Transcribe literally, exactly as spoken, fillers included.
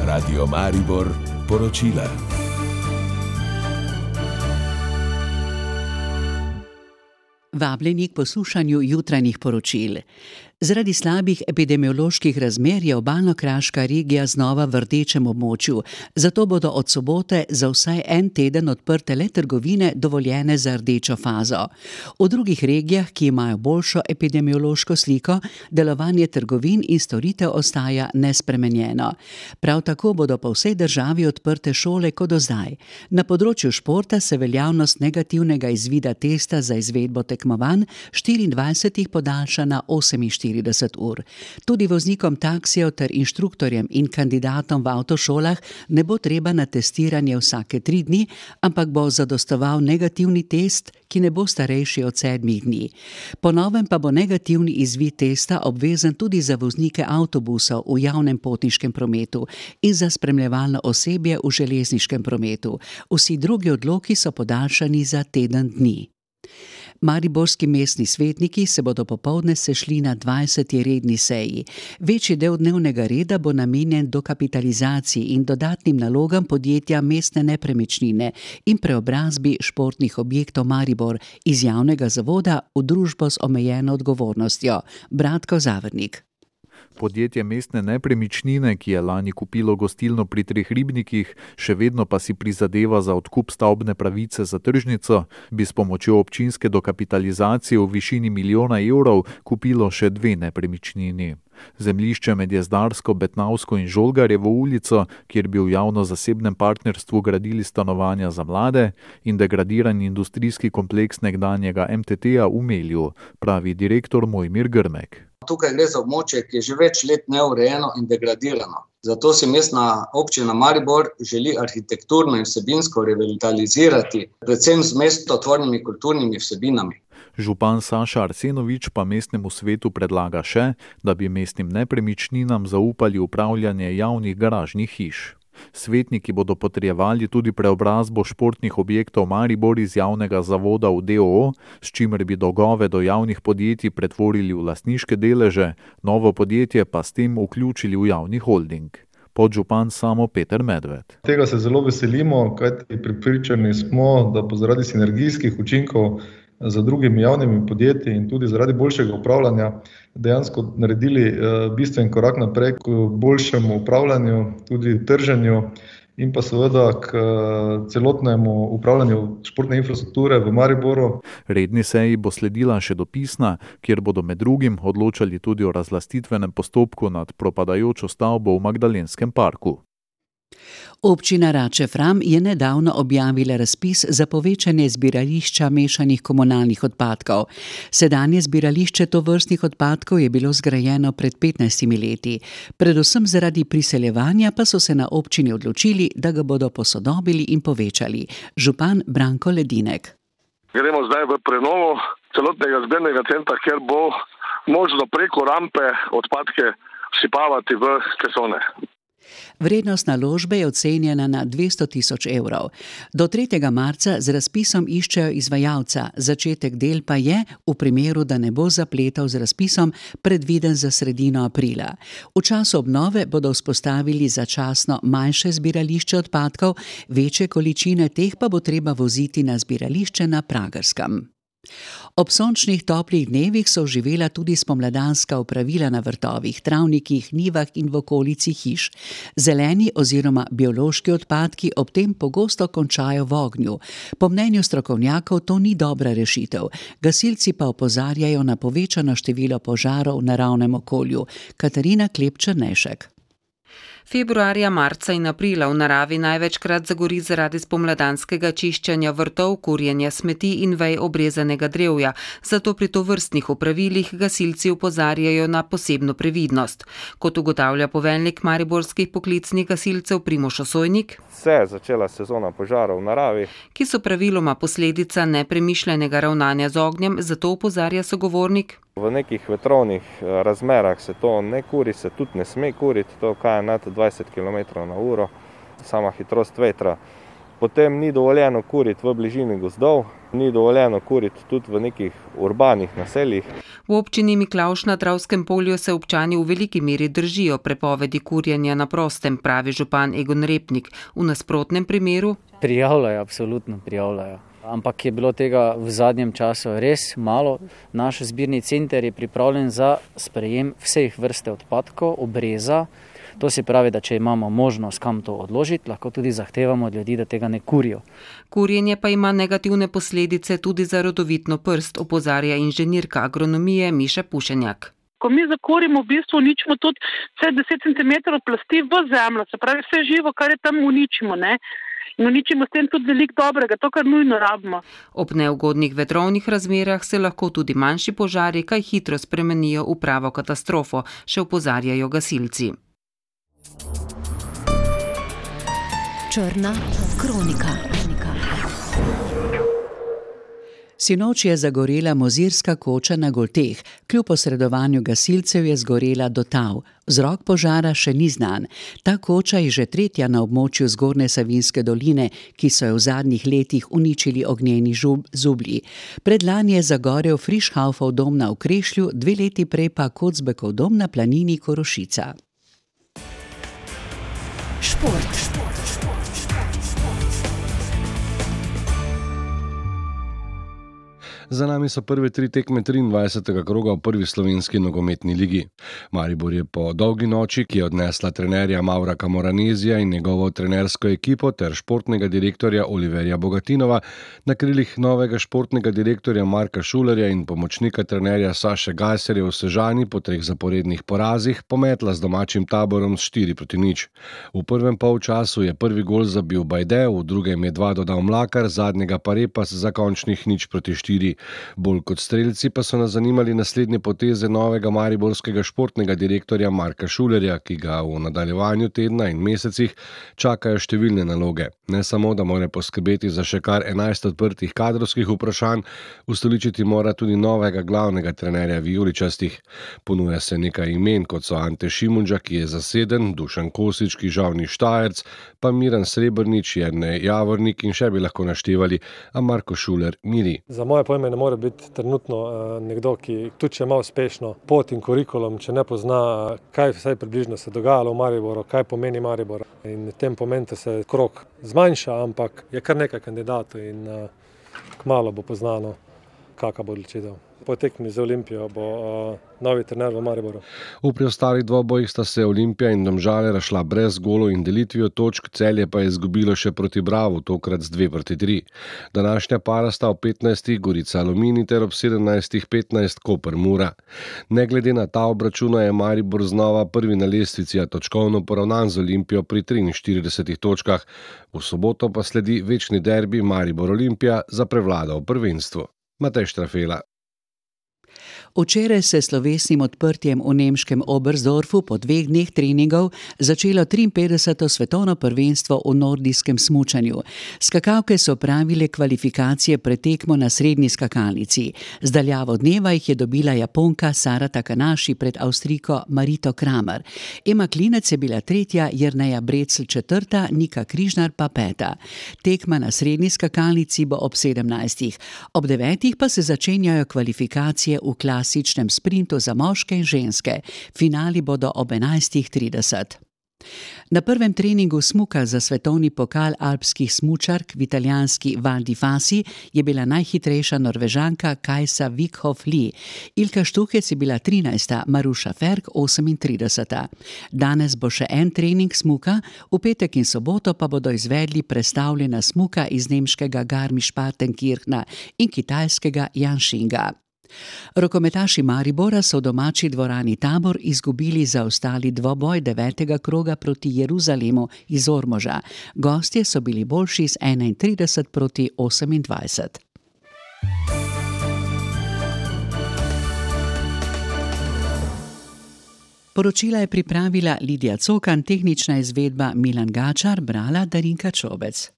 Radio Maribor poročila. Vabljeni k poslušanju jutranjih poročil. Zaradi slabih epidemioloških razmer je obalno-kraška regija znova v rdečem območju, zato bodo od sobote za vsaj en teden odprte le trgovine dovoljene za rdečo fazo. V drugih regijah, ki imajo boljšo epidemiološko sliko, delovanje trgovin in storitev ostaja nespremenjeno. Prav tako bodo po vsej državi odprte šole kot do zdaj. Na področju športa se veljavnost negativnega izvida testa za izvedbo tekmovanj štiriindvajsetih podaljša na oseminštirideset ur. Tudi voznikom taksijev ter inštruktorjem in kandidatom v avtošolah ne bo treba na testiranje vsake tri dni, ampak bo zadostoval negativni test, ki ne bo starejši od sedmih dni. Po novem pa bo negativni izvid testa obvezen tudi za voznike avtobusov v javnem potniškem prometu in za spremljevalno osebje v železniškem prometu. Vsi drugi odloki so podaljšani za teden dni. Mariborski mestni svetniki se bodo popoldne sešli na dvajseti redni seji. Večji del dnevnega reda bo namenjen dokapitalizaciji in dodatnim nalogam podjetja Mestne nepremičnine in preobrazbi športnih objektov Maribor iz javnega zavoda v družbo z omejeno odgovornostjo. Bratko Zavrnik. Podjetje Mestne nepremičnine, ki je lani kupilo gostilno pri Treh ribnikih, še vedno pa si prizadeva za odkup stavbne pravice za tržnico, bi s pomočjo občinske dokapitalizacije v višini milijona evrov kupilo še dve nepremičnini. Zemljišče med Jezdarsko, Betnavsko in Žolgarjevo ulico, kjer bi v javno-zasebnem partnerstvu gradili stanovanja za mlade, in degradiran industrijski kompleks nekdanjega M T T-ja v Melju, pravi direktor Mojmir Grmek. Tukaj gre za območje, ki je že več let neurejeno in degradirano. Zato si mestna občina Maribor želi arhitekturno in vsebinsko revitalizirati, predvsem z mestotvornimi kulturnimi vsebinami. Župan Saša Arsenovič pa mestnemu svetu predlaga še, da bi mestnim nepremičninam zaupali upravljanje javnih garažnih hiš. Svetniki bodo potrjevali tudi preobrazbo športnih objektov Maribor iz javnega zavoda v D O O, s čimer bi dolgove do javnih podjetij pretvorili v lastniške deleže, novo podjetje pa s tem vključili v javni holding. Podžupan Samo Peter Medved. Tega se zelo veselimo, kajti pripričani smo, da bo zaradi sinergijskih učinkov za drugimi javnimi podjetji in tudi zaradi boljšega upravljanja dejansko naredili bistven korak naprej k boljšemu upravljanju, tudi trženju in pa seveda k celotnemu upravljanju športne infrastrukture v Mariboru. Redni seji bo sledila še dopisna, kjer bodo med drugim odločali tudi o razlastitvenem postopku nad propadajočo stavbo v Magdalenskem parku. Občina Rače-Fram je nedavno objavila razpis za povečanje zbirališča mešanih komunalnih odpadkov. Sedanje zbirališče tovrstnih odpadkov je bilo zgrajeno pred petnajstimi leti. Predvsem zaradi priseljevanja pa so se na občini odločili, da ga bodo posodobili in povečali. Župan Branko Ledinek. Gremo zdaj v prenovo celotnega zbirnega centra, kjer bo možno preko rampe odpadke vsipavati v kesone. Vrednost naložbe je ocenjena na dvesto tisoč evrov. Do tretjega marca z razpisom iščejo izvajalca, začetek del pa je, v primeru, da ne bo zapletal z razpisom, predviden za sredino aprila. V času obnove bodo vzpostavili začasno manjše zbirališče odpadkov, večje količine teh pa bo treba voziti na zbirališče na Pragerskem. Ob sončnih toplih dnevih so oživela tudi spomladanska opravila na vrtovih, travnikih, njivah in v okolici hiš. Zeleni oziroma biološki odpadki ob tem pogosto končajo v ognju. Po mnenju strokovnjakov to ni dobra rešitev. Gasilci pa opozarjajo na povečano število požarov v naravnem okolju. Katarina Klep-Črnešek. Februarja, marca in aprila v naravi največkrat zagori zaradi spomladanskega čiščenja vrtov, kurjenja smeti in vej obrezanega drevja. Zato pri tovrstnih opravilih gasilci opozarjajo na posebno previdnost. Kot ugotavlja poveljnik mariborskih poklicnih gasilcev Primož Osojnik, se je začela sezona požarov v naravi, ki so praviloma posledica nepremišljenega ravnanja z ognjem, zato opozarja sogovornik. V nekih vetrovnih razmerah se to ne kuri, se tudi ne sme kuriti, to kaj je nad dvajset kilometrov na uro, sama hitrost vetra Potem ni dovoljeno kuriti v bližini gozdov, ni dovoljeno kuriti tudi v nekih urbanih naseljih. V občini Miklavž na Dravskem polju se občani v veliki meri držijo prepovedi kurjenja na prostem, pravi župan Egon Repnik. V nasprotnem primeru prijavljajo, absolutno prijavljajo. Ampak je bilo tega v zadnjem času res malo. Naš zbirni center je pripravljen za sprejem vseh vrste odpadkov, obreza. To se pravi, da če imamo možnost kam to odložiti, lahko tudi zahtevamo od ljudi, da tega ne kurijo. Kurjenje pa ima negativne posledice tudi za rodovitno prst, opozarja inženirka agronomije Miša Pušenjak. Ko mi zakurimo, v bistvu uničimo tudi vse deset centimetrov plasti v zemljo, se pravi vse živo, kar je tam uničimo, ne? In uničimo s tem tudi veliko dobrega, to, kar nujno rabimo. Ob neugodnih vetrovnih razmerah se lahko tudi manjši požari kaj hitro spremenijo v pravo katastrofo, še opozarjajo gasilci. Črna kronika. Sinoč je zagorela mozirska koča na Golteh. Kljub posredovanju gasilcev je zgorela do tal. Vzrok požara še ni znan. Ta koča je že tretja na območju Zgornje Savinjske doline, ki so jo v zadnjih letih uničili ognjeni zublji. Predlani je zagorel Frišhaufov dom na Okrešlju, dve leti prej pa Kocbekov dom na planini Korošica. Šport. Šport. Za nami so prve tri tekme triindvajsetega kroga v prvi slovenski nogometni ligi. Maribor je po dolgi noči, ki je odnesla trenerja Mavraka Moranezija in njegovo trenersko ekipo ter športnega direktorja Oliverja Bogatinova, na krilih novega športnega direktorja Marka Šulerja in pomočnika trenerja Saše Gajserja v Sežani po treh zaporednih porazih pometla z domačim taborom s štiri proti nič. V prvem polčasu je prvi gol zabil Bajde, v drugem je dva dodal Mlakar, zadnjega pa Repas za končnih nič proti štiri. Bolj kot strelci pa so nas zanimali naslednje poteze novega mariborskega športnega direktorja Marka Šulerja, ki ga v nadaljevanju tedna in mesecih čakajo številne naloge. Ne samo, da mora poskrbeti za še kar enajst odprtih kadrovskih vprašanj, ustoličiti mora tudi novega glavnega trenerja vijoličastih. Ponuja se nekaj imen, kot so Ante Šimunža, ki je zaseden, Dušan Kosič, ki žal ni Štajerc, pa Miran Srebrnič, Jernej Javornik in še bi lahko naštevali, a Marko Šuler miri. Za moje pojme ne more biti trenutno nekdo, ki tudi če ima uspešno pot in kurikulum, če ne pozna, kaj vsaj približno se dogajalo v Mariboru, kaj pomeni Maribor. In v tem momentu se krog zmanjša, ampak je kar nekaj kandidatov in kmalu bo poznano, kakšna bo odločitev. Po tekmi z Olimpijo bo novi trener v Mariboru. V preostalih dvobojih sta se Olimpija in Domžale razšla brez golov in delitvijo točk, Celje pa je izgubilo še proti Bravu, tokrat z dve proti tri. Današnja para sta ob petnajstih Gorica Aluminij ter ob sedemnajstih petnajst Koper Mura. Ne glede na ta obračuna je Maribor znova prvi na lestvici, a točkovno poravnan z Olimpijo pri triinštiridesetih točkah. V soboto pa sledi večni derbi Maribor Olimpija za prevlado v prvenstvu. Matej Štrafela. Včeraj se slovesnim odprtjem v nemškem Oberstdorfu po dveh dneh treningov začelo triinpetdeseto svetovno prvenstvo v nordijskem smučanju. Skakavke so opravile kvalifikacije pred tekmo na srednji skakalnici. Z daljavo dneva jih je dobila Japonka Sara Takanaši pred Avstrijko Marito Kramer. Ema Klinec je bila tretja, Jerneja Brecl četrta, Nika Križnar pa peta. Tekma na srednji skakalnici bo ob sedemnajstih. Ob devetih pa se začenjajo kvalifikacije v klasičnem sprintu za moške in ženske. Finali bodo ob enajstih trideset. Na prvem treningu smuka za svetovni pokal alpskih smučark v italijanski Val di Fasi je bila najhitrejša Norvežanka Kajsa Vikhoff Lee. Ilka Štuhec je bila trinajsta, Maruša Ferk osemintrideseta. Danes bo še en trening smuka, v petek in soboto pa bodo izvedli prestavljena smuka iz nemškega Garmisch-Partenkirchna in kitajskega Janshinga. Rokometaši Maribora so v domači dvorani Tabor izgubili zaostali dvoboj devetega kroga proti Jeruzalemu iz Ormoža. Gostje so bili boljši z enaintrideset proti osemindvajset. Poročila je pripravila Lidija Cokan, tehnična izvedba Milan Gačar, brala Darinka Čobec.